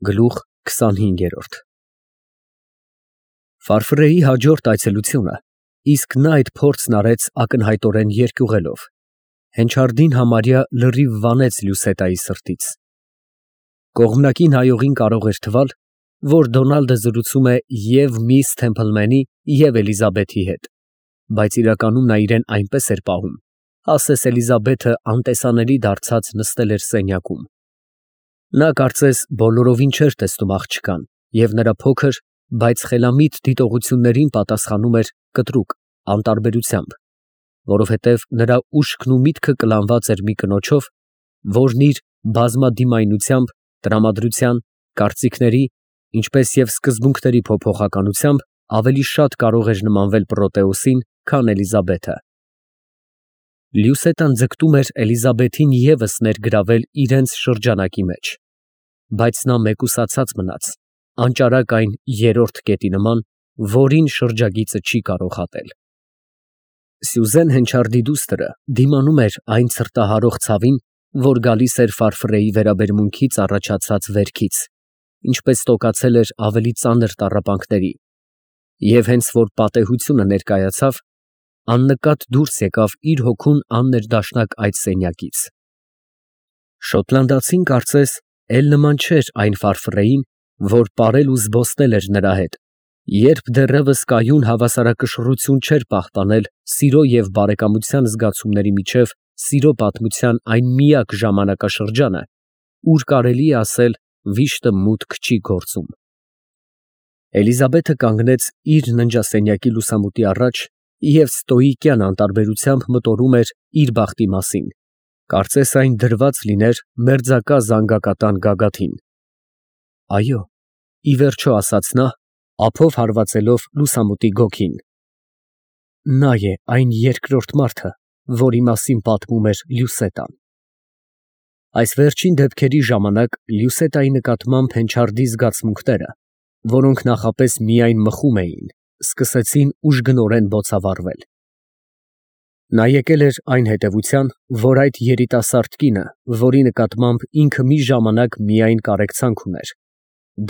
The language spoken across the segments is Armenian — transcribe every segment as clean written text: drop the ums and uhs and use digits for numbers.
Գլուխ 25 Ֆարֆրեի հաջորդ այցելությունը, իսկ նա այդ փորձն արեց ակնհայտորեն երկյուղելով, հենչարդին համարյա լրիվ վանեց Լյուսետայի սրտից։ Կողմնակի նայողին կարող էր թվալ, որ Դոնալդը զրուցում է և միս Թեմփլմենի, և Էլիզաբեթի հետ, բայց իրականում նա իրեն այնպես էր պահում, ասես Էլիզաբեթը անտեսանելի դարձած նստել էր սենյակում։ Նա կարծես բոլորովին չէր տեսնում աղջկան և նրա փոքր, բայց խելամիտ դիտողություններին պատասխանում էր կտրուկ, անտարբերությամբ, որովհետև նրա ուշքն ու միտքը կլանված էր մի կնոջով, որն իր բազմադիմայնությամբ, տրամադրության, կարծիքների, ինչպես և սկզբունքների փոփոխականությամբ ավելի շատ կարող էր նմանվել Պրոտեոսին, քան Էլիզաբեթը։ Լյուսետան ձգտում էր Էլիզաբեթին ևս ներգրավել իրենց շրջանակի մեջ, բայց նա մեկուսացած մնաց, անճարակ այն երրորդ կետի նման, որին շրջագիծը չի կարող հատել։ Սյուզեն Հենչարդի դուստրը դիմանում էր այն ցրտահարող ցավին, որ գալիս էր Ֆարֆրեի վերաբերմունքից առաջացած վերքից, ինչպես տոկացել էր ավելի ծանր տառապանքների, և հենց որ պատեհությունը ներկայացավ, աննկատ դուրս եկավ իր հոգուն աններդաշնակ այդ սենյակից։ Շոտլանդացին կարծես էլ նման չէր այն Ֆարֆրեին, որ պարել ու զբոսնել էր նրա հետ, երբ դեռևս կայուն հավասարակշռություն չէր պահպանել սիրո և բարեկամության զգացումների միջև սիրո պատմության այն միակ ժամանակաշրջանը, ուր կարելի է ասել վիշտը մուտք չի գործում։ Էլիզաբեթը կանգնեց իր ննջասենյակի լուսամուտի առաջ և ստոիկյան անտարբերությամբ մտորում էր իր բախտի մասին, կարծես այն դրված լիներ մերձակա զանգակատան գագաթին։ Այո, ի վերջո ասաց նա, ափով հարվածելով լուսամուտի գոգին, նա է այն երկրորդ մարդը, որի մասին պատմում էր Լյուսետան։ Այս վերջին դեպքերի ժամանակ Լյուսետայի նկատմամբ Հենչարդի զգացմունքները, որոնք նախապես միայն մխում էին, սկսեցին ուժգնորեն բոցավառվել։ Նա եկել էր այն հետևության, որ այդ երիտասարդ կինը, որի նկատմամբ ինքը մի ժամանակ միայն կարեկցանք ուներ,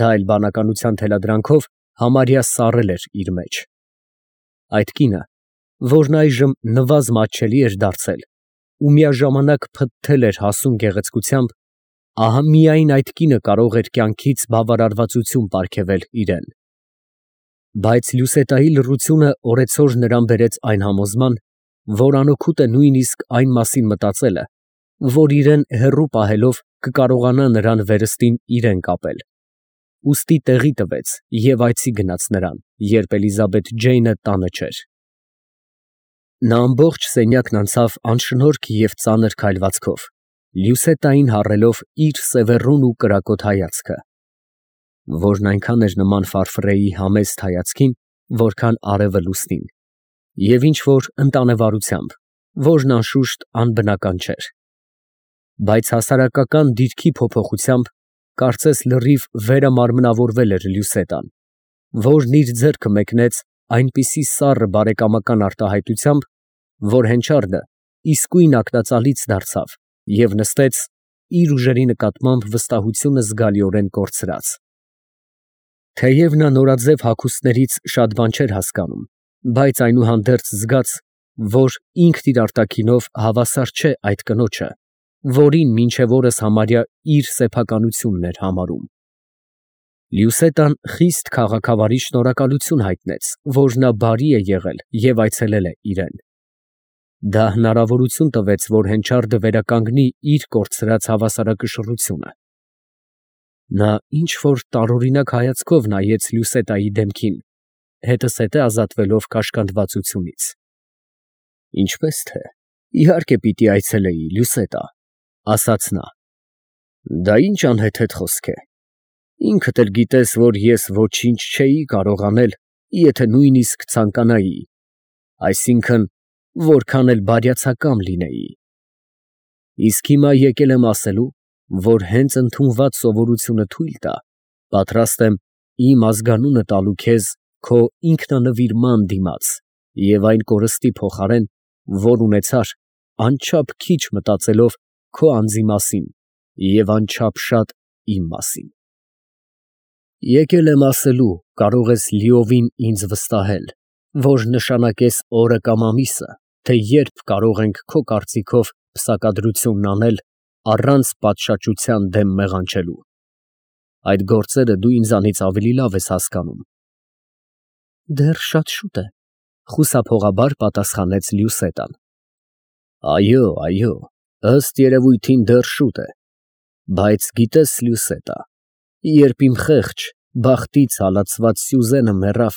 դա էլ բանականության թելադրանքով համարյա սառել էր իր մեջ։ Այդ կինը, որն այժմ նվազ֊մատչելի էր դարձել ու միաժամանակ փթթել էր հասուն գեղեցկությամբ, ահա միայն այդ կինը կարող էր կյանքից բավարարվածություն պարգևել իրան։ Բայց Լյուսետայի լռությունը օրեցօր նրան բերեց այն համոզման, որ անօգուտ է նույնիսկ այն մասին մտածելը, որ իրան հեռու պահելով կկարողանա նրան վերստին իրան կապել։ Ուստի տեղի տվեց և այցի գնաց նրան, երբ Էլիզաբեթ Ջեյնը տանը չէր։ Նա ամբողջ սենյակն անցավ անշնորհք և ծանր քայլվածքով, Լյուսետային հառելով իր սևեռուն ու կրակոտ հայացքը, որն այնքան էր նման Ֆարֆրեի համեստ հայացքին, որքան արևը լուսնին, և ինչ֊որ ընտանեվարությամբ, որն անշուշտ անբնական չէր։ Բայց հասարակական դիրքի փոփոխությամբ կարծես լրիվ վերամարմնավորվել էր Լյուսետան, որն իր ձեռքը մեկնեց այնպիսի սառը բարեկամական արտահայտությամբ, որ Հենչարդը իսկույն ակնածալից դարձավ և նստեց, իր ուժերի նկատմամբ վստահությունը զգալիորեն կորցրած։ Թեև նա նորաձև հագուստներից շատ բան չէր հասկանում, բայց այնուհանդերձ զգաց, որ ինքն իր արտաքինով հավասար չէ այդ կնոջը, որին մինչև օրս համարյա իր սեփականությունն էր համարում։ Լյուսետան խիստ քաղաքավարի շնորհակալություն հայտնեց, որ նա բարի է եղել և այցելել է իրան։ Դա հնարավորություն տվեց, որ Հենչարդը վերականգնի իր կորցրած հավասարակշռությունը։ Նա ինչ֊որ տարօրինակ հայացքով նայեց Լյուսետայի դեմքին, հետզհետե ազատվելով կաշկանդվածությունից։ Ինչպես թե, իհարկե պիտի այցելեի, Լյուսետա, ասաց նա։ Դա ինչ անհեթեթ խոսք է։ Ինքդ էլ գիտես, որ ես ոչինչ չէի կարող անել, եթե նույնիսկ ցանկանայի, այսինքն, որքան էլ բարյացակամ լինեի։ Իսկ հիմա եկել եմ ասելու, որ հենց ընդունված սովորությունը թույլ տա, պատրաստ եմ իմ ազգանունը տալու քեզ քո ինքնանվիրման դիմաց և այն կորստի փոխարեն, որ ունեցար, անչափ քիչ մտածելով քո անձի մասին և անչափ շատ իմ մասին։ Եկել եմ ասելու, կարող ես լիովին ինձ վստահել, որ նշանակես օրը կամ ամիսը, թե երբ կարող ենք քո կարծիքով պսակադրությունն անել առանց պատշաճության դեմ մեղանչելու։ Այդ գործերը դու ինձանից ավելի լավ ես հասկանում։ Դեռ շատ շուտ է, խուսափողաբար պատասխանեց Լյուսետան։ Այո, ըստ երևույթին դեռ շուտ է, բայց գիտես, Լյուսետա, երբ իմ խեղճ, բախտից հալածված Սյուզենը մեռավ,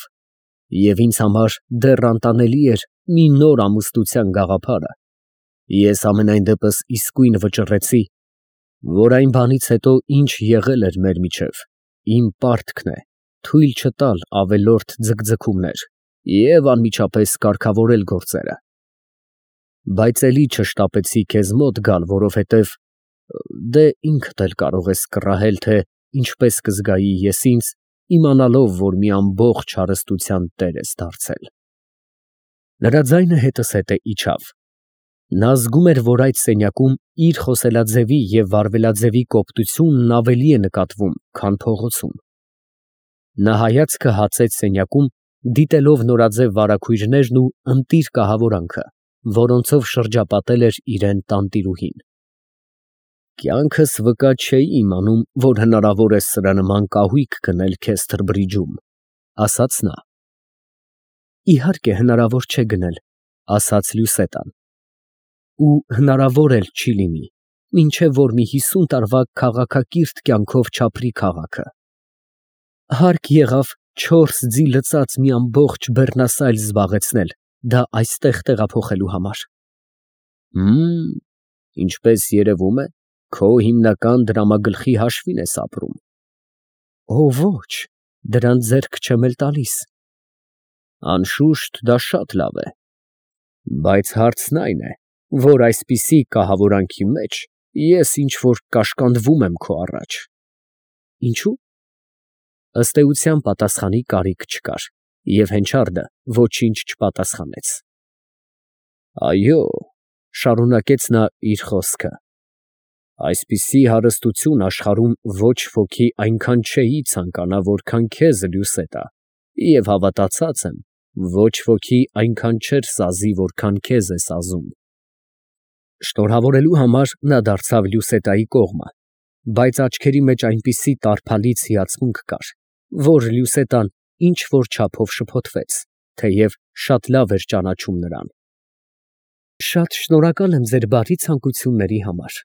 և ինձ համար դեռ անտանելի էր մի նոր ամուսնության գաղափարը, ես ամենայն դեպս իսկույն վճռեցի, որ այն բանից հետո, ինչ եղել էր մեր միջև, իմ պարտքն է թույլ չտալ ավելորդ ձգձգումներ և անմիջապես կարգավորել գործերը։ Բայց էլի չշտապեցի քեզ մոտ գալ, որովհետև դե ինքդ էլ կարող ես կռահել, թե ինչպես կզգայի ես ինձ, իմանալով, որ մի ամբողջ հարստության տեր ես դարձել։ Նրա ձայնը հետզհետե իջավ։ Նա զգում էր, որ այդ սենյակում իր խոսելաձևի և վարվելաձևի կոպտությունն ավելի է նկատվում, քան փողոցում։ Նա հայացքը հացեց սենյակում, դիտելով նորաձև վարագույրներն ու ընտիր կահավորանքը, որոնցով շրջապատել էր իրան տանտիրուհին։ Կյանքս վկա չէի իմանում, որ հնարավոր է սրանման կահույք գնել քեզ Թրբրիջում, ասաց նա։ Իհարկե հնարավոր չէ գնել, ասաց Լյուսետան, ու հնարավոր էլ չի լինի, մինչև որ մի 50 տարվա քաղաքակիրթ կյանքով չապրի քաղաքը։ Հարկ եղավ 4 ձի լծած մի ամբողջ բեռնասայլ զբաղեցնել, դա այստեղ տեղափոխելու համար։ Ինչպես երևում է, քո հիմնական դրամագլխի հաշվին ես ապրում։ Օ ոչ, դրան ձեռք չեմ էլ տալիս։ Անշուշտ դա շատ լավ է, բայց հարցն այն է, որ այսպիսի կահավորանքի մեջ ես ինչ-որ կաշկանդվում եմ քո առաջ։ Ինչու՞։ Ըստ էության պատասխանի կարիք չկար, և հենչարդը ոչինչ չպատասխանեց։ Այո, շարունակեց նա իր խոսքը, այսպիսի հարստություն աշխարհում ոչ ոքի այնքան չէի ցանկանա, որքան քեզ, Լյուսետա, և հավատացած եմ, ոչ ոքի այնքան չէր սազի, որքան քեզ է սազում։ Շնորհավորելու համար նա դարձավ Լյուսետայի կողմը, բայց աչքերի մեջ այնպիսի տարփալից հիացմունք կար, որ Լյուսետան ինչ-որ չափով շփոթվեց, թեև շատ լավ էր ճանաչում նրան։ Շատ շնորհակալ եմ ձեր բարի ցանկությունների համար,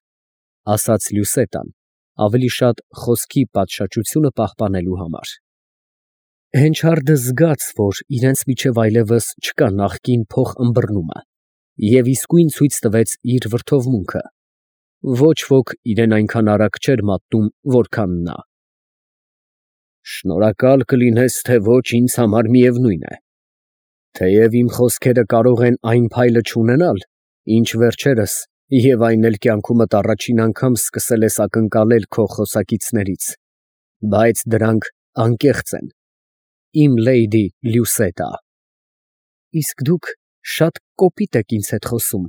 ասաց Լյուսետան, ավելի շատ խոսքի պատշաճությունը պահպանելու համար։ Հենչարդը զգաց, որ իրենց միջև այլևս չկա նախկին փոխըմբռնումը, և իսկույն ցույց տվեց իր վրդովմունքը։ Ոչ ոք իրեն այնքան արագ չէր մատնում, որքան նա։ Շնորհակալ կլինես, թե ոչ, ինձ համար միևնույն է։ Թեև իմ խոսքերը կարող են այն փայլը չունենալ, ինչ վերջերս, և այն էլ կյանքումդ առաջին անգամ սկսել ես ակնկալել քո խոսակիցներից, բայց դրանք անկեղծ են, իմ լեյդի Լյուսետա։ Իսկ դուք շատ կոպիտ եք ինձ հետ խոսում,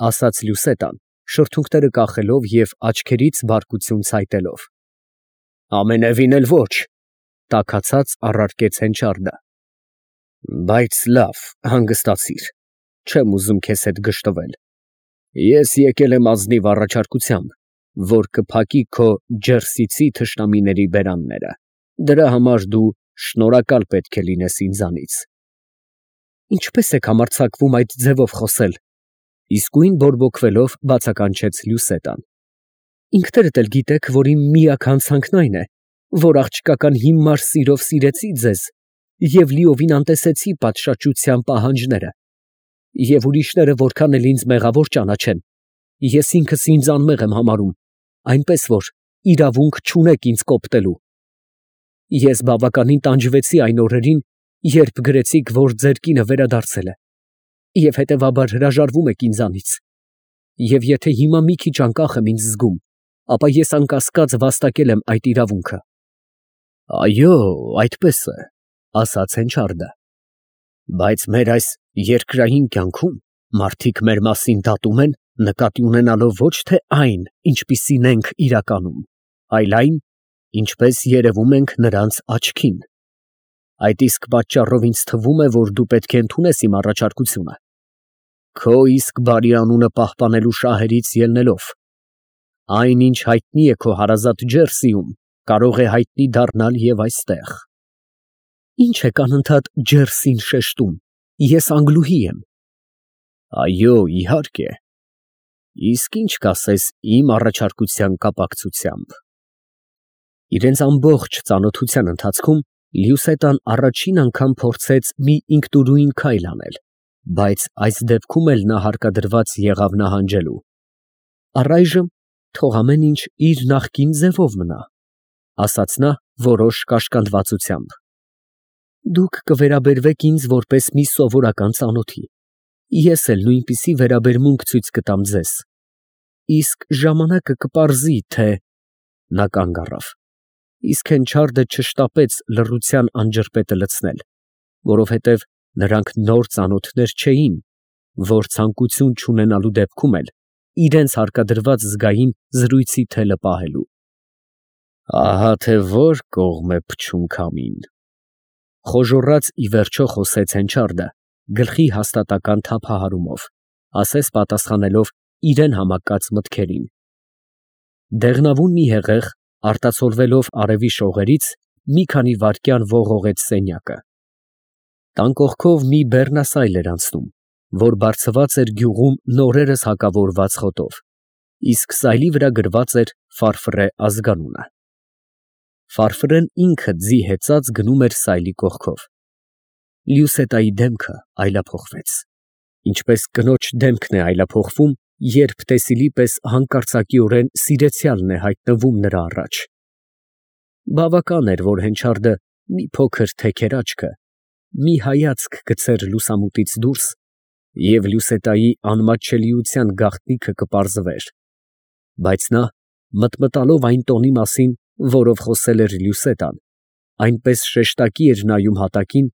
ասաց Լյուսետան, շրթունքները կախելով և աչքերից բարկություն ցայտելով։ Ամենևին էլ ոչ, տաքացած առարկեց Հենչարդը։ Բայց լավ, հանգստացիր, չեմ ուզում քեզ հետ գժտվել։ Ես եկել եմ ազնիվ առաջարկությամբ, որ կփակի քո ջերսիցի թշնամիների բերանները։ Դրա համար դու շնորհակալ պետք է լինես ինձանից։ Ինչպես եք համարձակվում այդ ձևով խոսել, իսկույն բորբոքվելով բացականչեց Լյուսետան։ Ինքներդ էլ գիտեք, որ իմ միակ հանցանքն այն է, որ աղջկական հիմար սիրով սիրեցի ձեզ և լիովին անտեսեցի պատշաճության պահանջները, և ուրիշները որքան էլ ինձ մեղավոր ճանաչեն, ես ինքս ինձ անմեղ եմ համարում, այնպես որ իրավունք չունեք ինձ կոպտելու։ Ես բավականին տանջվեցի այն օրերին, երբ գրեցիք, որ ձեր կինը վերադարձել է, և հետևաբար հրաժարվում եք ինձանից, և եթե հիմա մի քիչ անկախ եմ ինձ զգում, ապա ես անկասկած վաստակել եմ այդ իրավունքը։ Այո, այդպես է, ասաց Հենչարդը, բայց մեր այս երկրային կյանքում մարդիկ մեր մասին դատում են, նկատի ունենալով ոչ թե այն, ինչպիսին ենք իրականում, այլ այն, ինչպես երևում ենք նրանց աչքին։ Այդ իսկ պատճառով ինձ թվում է, որ դու պետք է ընդունես իմ առաջարկությունը, քո իսկ բարի անունը պահպանելու շահերից ելնելով։ Այն, ինչ հայտնի է քո հարազատ Ջերսիում, կարող է հայտնի դառնալ և այստեղ։ Ինչ եք անընդհատ Ջերսին շեշտում, ես անգլուհի եմ։ Այո, իհարկե։ Իսկ ինչ կասես իմ առաջարկության կապակցությամբ։ Իրենց ամբողջ ծանոթության ընթացքում Լյուսետան առաջին անգամ փորձեց մի ինքնուրույն քայլ անել, բայց այս դեպքում էլ նա հարկադրված եղավ նահանջելու։ Առայժմ թող ամեն ինչ իր նախկին ձևով մնա, ասաց նա որոշ կաշկանդվածությամբ։ Դուք կվերաբերվեք ինձ որպես մի սովորական ծանոթի, ես էլ նույնպիսի վերաբերմունք ցույց կտամ ձեզ, իսկ ժամանակը կպարզի, թե… Նա կանգ առավ, իսկ Հենչարդը չշտապեց լռության անջրպետը լցնել, որովհետև նրանք նոր ծանոթներ չէին, որ ցանկություն չունենալու դեպքում էլ իրենց հարկադրված զգային զրույցի թելը պահելու։ Ահա թե որ կողմ է փչում քամին, խոժոռաց ի վերջո խոսեց Հենչարդը գլխի հաստատական թափահարումով, ասես պատասխանելով իրեն համակած մտքերին։ Դեղնավուն մի հեղեղ, արտացոլվելով արևի շողերից, մի քանի վայրկյան ողողեց սենյակը։ Տան կողքով մի բեռնասայլ էր անցնում, որ բարձված էր գյուղում նորերս հակավորված խոտով, իսկ սայլի վրա գրված էր Ֆարֆռե ազգանունը։ Ֆարֆռեն ինքը ձի հեծած գնում էր սայլի կողքով։ Լյուսետայի դեմքը այլափոխվեց, ինչպես կնոջ դեմքն է այլափոխվում, երբ տեսիլի պես հանկարծակիորեն սիրեցյալն է հայտնվում նրա առաջ։ Բավական էր, որ Հենչարդը մի փոքր թեքեր աչքը, մի հայացք գցեր լուսամուտից դուրս, և Լյուսետայի անմատչելիության գաղտնիքը կպարզվեր, բայց նա, մտմտալով այն տոնի մասին, որով խոսել էր Լյուսետան, այնպես շեշտակի էր նայում հատակին,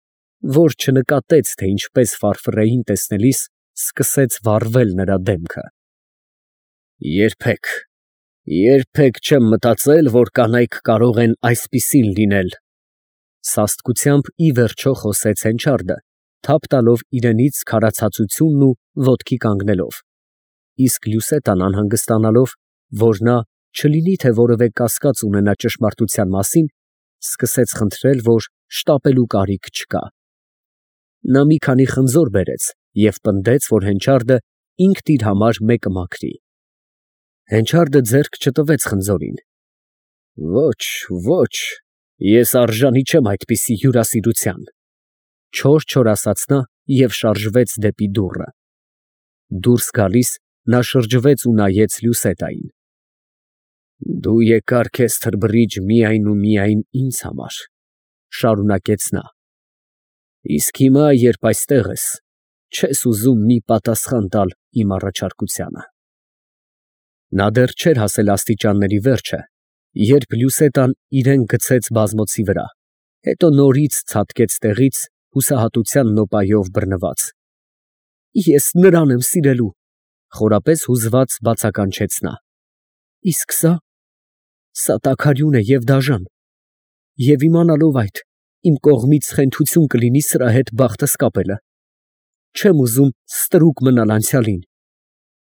որ չնկատեց, թե ինչպես Ֆարֆռեին տեսնելիս սկսեց վառվել նրա դեմքը։ Երբեք չեմ մտածել, որ կանայք կարող են այսպիսին լինել, սաստկությամբ ի վերջո խոսեց Հենչարդը, թափ տալով իրենից քարացածությունն ու ոտքի կանգնելով, իսկ Լյուսետան անհանգստանալով, որ նա չլինի թե որևէ կասկած ունենա ճշմարտության մասին, սկսեց խնդրել, որ շտապելու կարիք չկա։ Նա մի քանի խնձոր բերեց և պնդեց, որ Հենչարդը ինքն իր համար մեկը մաքրի։ Հենչարդը ձեռք չտվեց խնձորին։ Ոչ, ես արժանի չեմ այդպիսի հյուրասիրության, չոր ասաց նա և շարժվեց դեպի դուռը։ Դուրս գալիս նա շրջվեց ու նայեց Լյուսետային։ Դու եկար քեզ թրբռիչ միայն ու միայն ինձ համար, շարունակեց նա, իսկ հիմա, երբ այստեղ ես, չես ուզում մի պատասխան տալ իմ առաջարկությանը։ Նա դեռ չէր հասել աստիճանների վերջը, երբ Լյուսետան իրեն գցեց բազմոցի վրա, հետո նորից ցատկեց տեղից հուսահատության նոպայով բռնված։ Ես նրան եմ սիրելու, խորապես հուզված բացականչեց նա։ Իսկ սա տաքարյուն է և դաժան, և իմանալով այդ, իմ կողմից խենթություն կլինի սրա հետ բախտս կապելը։ Չեմ ուզում ստրուկ մնալ անցյալին,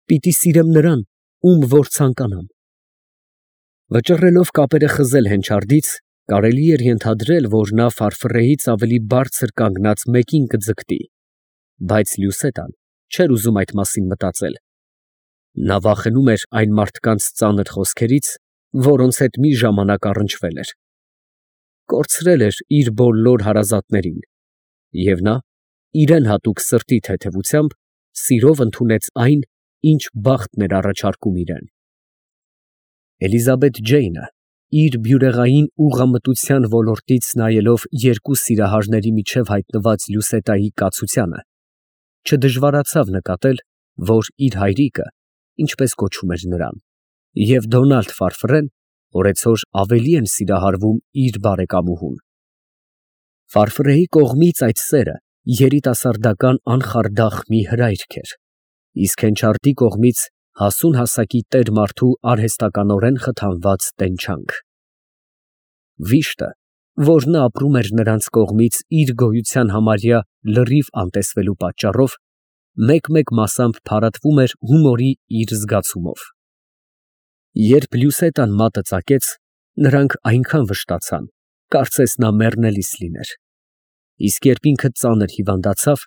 պիտի սիրեմ նրան, ում որ ցանկանամ։ Վճռելով կապերը խզել Հենչարդից, կարելի էր ենթադրել, որ նա Ֆարֆռեից ավելի բարձր կանգնած մեկին կձգտի, բայց Լյուսետան չէր ուզում այդ մասին մտածել։ Նա վախենում էր այն մարդկանց ծանր խոսքերից, որոնց հետ մի ժամանակ առնչվել էր։ Կորցրել էր իր բոլոր հարազատներին, և նա, իրեն հատուկ սրտի թեթևությամբ, սիրով ընդունեց այն, ինչ բախտն էր առաջարկում իրան։ Էլիզաբեթ Ջեյնը, իր բյուրեղային ուղղամտության ոլորտից նայելով երկու սիրահարների միջև հայտնված Լյուսետայի կացությանը, չդժվարացավ նկատել, որ իր հայրիկը, ինչպես կոչում էր նրան, և Դոնալդ Ֆարֆռեն օրեցօր ավելի են սիրահարվում իր բարեկամուհուն։ Ֆարֆռեի կողմից այդ սերը երիտասարդական անխարդախ մի հրայք էր, իսկ Հենչարդի կողմից հասուն հասակի տեր մարդու արհեստականորեն խթանված տենչանք։ Վիշտը, որ նա ապրում էր նրանց կողմից իր գոյության համարյա լրիվ անտեսվելու պատճառով, մեկ-մեկ մասամբ փարատվում էր հումորի իր զգացումով։ Երբ Լյուսետան մատը ծակեց, նրանք այնքան վշտացան, կարծես նա մեռնելիս լիներ։ Իսկ երբ ինքը ծանր հիվանդացավ,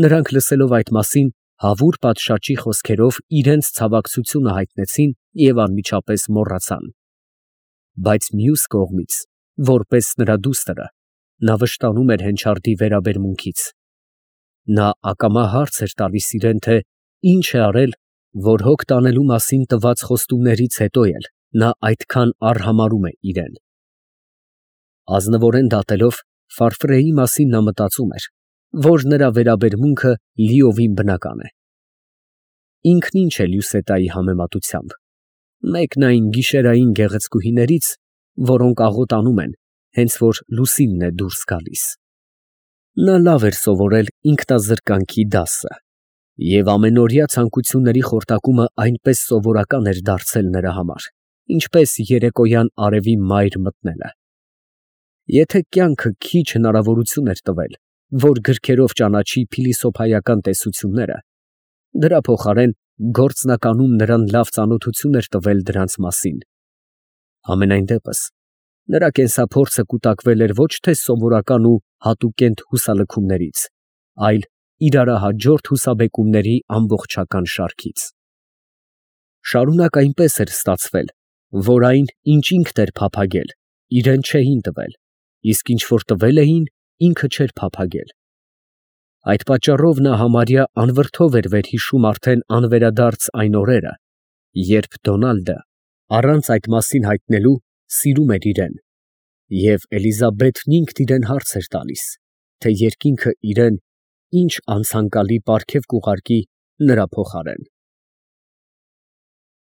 նրանք լսելով այդ մասին, հավուր պատշաճի խոսքերով իրենց ցավակցությունը հայտնեցին և անմիջապես մոռացան։ Բայց մյուս կողմից, որպես նրա դուստրը, նա վշտանում էր Հենչարդի վերաբերմունքից։ Նա ակամա հարց էր տալիս իրեն, թե ինչ է արել, որ հոգ տանելու մասին տված խոստումներից հետո էլ նա այդքան արհամարհում է իրեն։ Ազնվորեն դատելով, Ֆարֆրեի մասին նա մտածում էր, որ նրա վերաբերմունքը լիովին բնական է։ Ինքն ինչ է Լյուսետայի համեմատությամբ։ Մեկն այն գիշերային գեղեցկուհիներից, որոնք աղոթանում են, հենց որ լուսինն է դուրս գալիս։ Նա լավ էր սովորել ինքնազրկանքի դասը, և ամենօրյա ցանկությունների խորտակումը այնպես սովորական էր դարձել նրա համար, ինչպես երեկոյան արևի մայր մտնելը։ Եթե կյանքը քիչ հնարավորություն էր տվել, որ գրքերով ճանաչի փիլիսոփայական տեսությունները, դրա փոխարեն գործնականում նրան լավ ծանոթություն էր տվել դրանց մասին։ Համենայն դեպս, նրա կենսափորձը կուտակվել էր ոչ թե սովորական ու հատուկենտ հուսալքումներից, այլ իրարահաջորդ հուսաբեկումների ամբողջական շարքից։ Շարունակ այնպես էր ստացվել, որ այն, ինչ ինքն էր փափագել, իրեն չէին տվել, իսկ ինչ որ տվել էին, ինքը չէր փափագել։ Այդ պատճառով նա համարյա անվրդով էր վերհիշում արդեն անվերադարձ այն օրերը, երբ Դոնալդը, առանց այդ մասին հայտնելու, սիրում էր իրեն, և Էլիզաբեթն ինքն իրան հարց էր տալիս, թե երկինքը իրան ինչ անցանկալի պարգև կուղարկի նրա փոխարեն։